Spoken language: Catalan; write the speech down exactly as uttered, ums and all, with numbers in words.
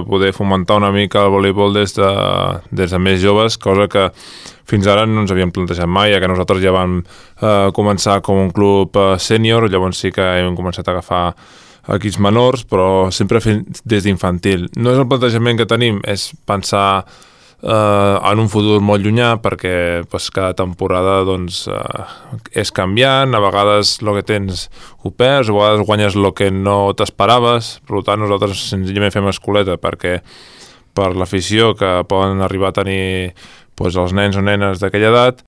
poder fomentar una mica el voleibol des de, des de més joves, cosa que fins ara no ens havíem plantejat mai, ja que nosaltres ja vam eh, començar com un club eh, sènior, llavors sí que hem començat a agafar equips menors, però sempre fins des d'infantil. No és el plantejament que tenim, és pensar eh, en un futur molt llunyà, perquè pues, cada temporada doncs, eh, és canviant, a vegades el que tens ho perds, a vegades guanyes el que no t'esperaves, per tant nosaltres senzillament fem escoleta perquè per l'afició que poden arribar a tenir pues, els nens o nenes d'aquella edat,